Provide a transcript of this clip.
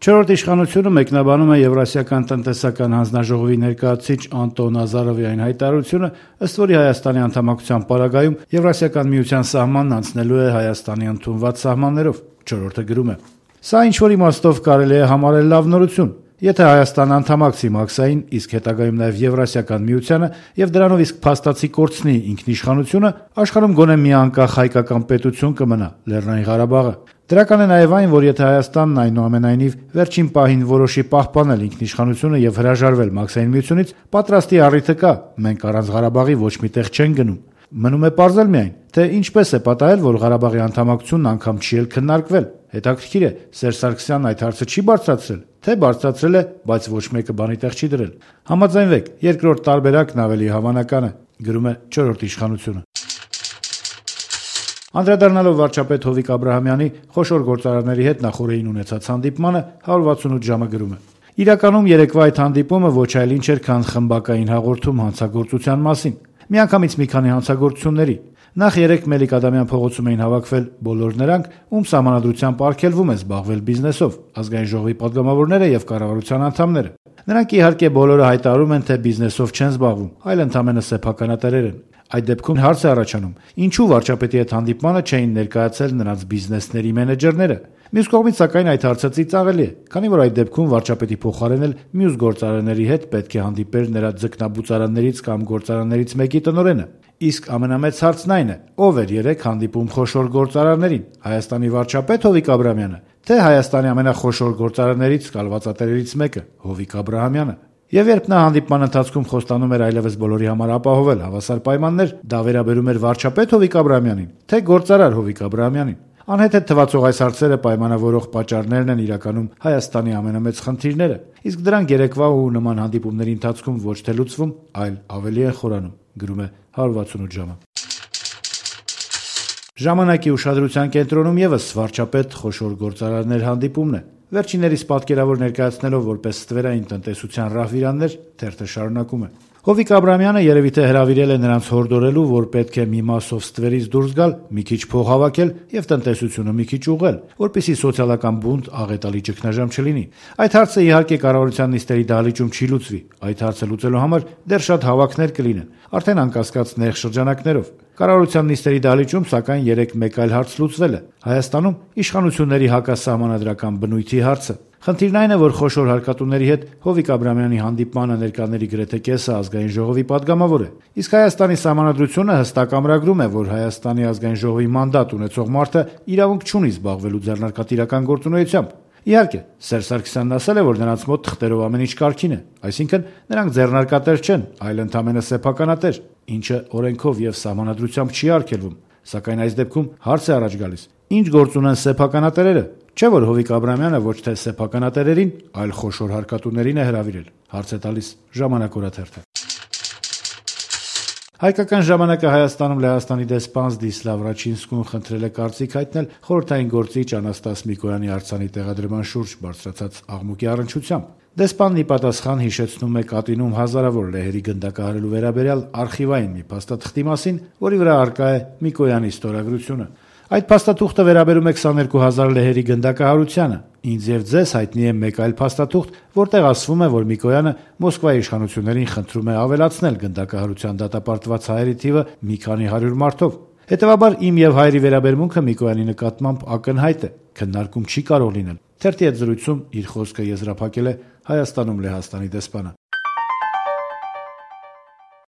Չորրորդ իշխանությունը մեկնաբանում է Եվրասիական տնտեսական հանձնաժողովի ներկայացուցիչ Անտոն Ազարովի այն հայտարարությունը, ըստ որի Հայաստանի անդամակցության պարագայում Եվրասիական միության սահմանն անցնելու է Հայաստանի ընդունված սահմաններով։ Չորրորդը գրում է. «Սա ինչ-որ իմաստով կարելի է համարել լավ նորություն։ Եթե Հայաստանը անդամակցի Մաքսային, իսկ հետագայում նաև Եվրասիական միությանը եւ դրանով իսկ փաստացի կորցնի ինքնիշխանությունը, աշխարհում գոնե մի անկախ հայկական պետություն կմնա՝ Լեռնային Ղարաբաղը։ Դրական է նաև այն, որ եթե Հայաստանն այնուամենայնիվ վերջին պահին որոշի պահպանել ինքնիշխանությունը եւ հրաժարվել Մաքսային միությունից, պատրաստի առիթը կա, մենք առանց Ղարաբաղի ոչ մի տեղ չենք գնում։ Մնում է պարզել միայն, թե ինչպես է պատահել, որ Ղարաբաղի անդամակցությունն անգամ չի էլ քննարկվել։ Հետաքրքիր է, Սերժ Սարգսյանն այդ հարցը չի բարձրացրել, թե բարձրացրել է, բայց ոչ մեկը բանի տեղ չի դրել։ Համաձայնվեք, երկրորդ տարբերակն ավելի հավանական է», գրում է Չորրորդ իշխանությունը։ Անդրադառնալով վարչապետ Հովիկ Աբրահամյանի խոշոր գործարարների հետ նախորդին ունեցած հանդիպմանը 168 ժամը գրում է. «Իրականում երեկվա այդ հանդիպումը ոչ այլ ինչ էր, քան խմբակային հաղորդում հանցագործության մասին։ Միանգամից մի քանի հանցագործությունների։ Նախ երեկ Մելիք Ադամյան փողոցում էին հավաքվել բոլոր նրանք, ում սահմանադրությամբ արգելվում է զբաղվել բիզնեսով, ազգային ժողովի պատգամավորները եւ կառավարության անդամները։ Նրանք իհարկե բոլորը հայտարարում են, թե բիզնեսով չեն զբաղվում, այլ ընդամենը սեփականատերեր են։ Այդ դեպքում հարց է առաջանում. ինչու վարչապետի հետ հանդիպմանը չէին ներկայացել նրանց բիզնեսների մենեջերները։ Մյուս կողմից, սակայն, այդ հարցը ծիծաղելի է, քանի որ այդ դեպքում վարչապետի փոխարեն էլ մյուս գործարանների հետ պետք է հանդիպեր նրա ձկնաբուծարաններից կամ գործարաններից մեկի տնօրենը։ Իսկ ամենամեծ հարցն այն է, ով էր երեք հանդիպում խոշոր գործարարներին՝ Հայաստանի վարչապետ Հովիկ Աբրահամյանը, թե Հայաստանի ամենախոշոր գործարարներից կալվածատերերից մեկը՝ Հովիկ Աբրահամյանը։ Եվ երբ նա հանդիպման ընթացքում խոստանում էր այլևս բոլորի համար ապահովել հավասար պայմաններ, դա վերաբերում էր վարչապետ Հովիկ Աբրահամյանին, թե գործարար Հովիկ Աբրահամյանին։ Անհեթեթ թվացող այս հարցերը պայմանավորող պատճառներն են իրականում Հայաստանի ամենամեծ խնդիրները, իսկ դրանք երեկվա ու նման հանդիպումների ընթացքում ոչ թե լուծվում, այլ ավելի են խորանում», գրում է 168 ժամը։ Ժամանակի ուշադրության կենտրոնում եւս վարչապետ խոշոր գործարարներ հանդիպումն է։ Վերջիններիս պատկերավոր ներկայացնելով որպես ստվերային տնտեսության ռահվիրաններ, թերթը շարունակում է. «Հովիկ Աբրահամյանը երևի թե հրավիրել է նրանց հորդորելու, որ պետք է մի մասով ստվերից դուրս գալ, մի քիչ փող հավաքել եւ տնտեսությունը մի քիչ ուղղել, որպեսզի սոցիալական բունտ աղետալի ճգնաժամ չլինի։ Այդ հարցը իհարկե կառավարության նիստերի դահլիճում չի լուծվի։ Այդ հարցը լուծելու համար դեռ շատ հավաքներ կլինեն, արդեն անկասկած նեղ շրջանակներով։ Կառավարության նիստերի դահլիճում, սակայն, երեք մեկ այլ հարց լուծվել է. Հայաստանում իշխանությունների հակասահմանադրական բնույթի հարցը։ Խնդիրն այն է, որ խոշոր հարկատուների հետ Հովիկ Աբրահամյանի հանդիպմանը ներկաների գրեթե կեսը ազգային ժողովի պատգամավոր է, իսկ Հայաստանի սահմանադրությունը հստակ ամրագրում է, որ Հայաստանի ազգային ժողովի մանդատ ունեցող մարդը իրավունք չունի զբաղվելու ձեռնարկատիրական գործունեությամբ։ Իհարկե, Սերժ Սարգսյանն ասել է, որ նրանց մոտ թղթերով ամեն ինչ կարգին է, այսինքն նրանք ձեռնարկատեր չեն, այլ ընդամենը սեփականատեր, ինչը օրենքով եւ սահմանադրությամբ չի արգելվում։ Սակայն այս դեպքում հարց է առաջ գալիս. ինչ գործ ունեն սեփականատերերը։ Չէ՞ որ Հովիկ Աբրահամյանը ոչ թե սեփականատերերին, այլ խոշոր հարկատուներին է հրավիրել։ Հարց է տալիս Ժամանակ օրաթերթը։ Հայկական ժամանակը Հայաստանում Լեհաստանի դեսպան Զդիսլավ Ռաչինսկուն խնդրել է կարծիք հայտնել խորհրդային գործիչ Անաստաս Միկոյանի արձանի տեղադրման շուրջ բարձրացած աղմուկի առնչությամբ։ Դեսպանն ի պատասխան հիշեցնում է կատինում հազարավոր լեհերի գնդակահարելու վերաբերյալ արխիվային մի փաստաթղթի մասին, որի վրա առկա է Միկոյանի ստորագրությունը։ Այդ փաստաթուղթը վերաբերում է 22,000 լեհերի գնդակահարությանը։ Ինձ եւ ձեզ հայտնի է մեկ այլ փաստաթուղթ, որտեղ ասվում է, որ Միկոյանը Մոսկվայի իշխանություններին խնդրում է ավելացնել գնդակահարության դատապարտված հայերի թիվը մի քանի 100 մարդով։ Հետևաբար իմ եւ հայերի վերաբերմունքը Միկոյանի նկատմամբ ակնհայտ է, քննարկում չի կարող լինել։ Թերթի հետ զրույցում իր խոսքը եզրափակել է Հայաստանում Լեհաստանի դեսպանը։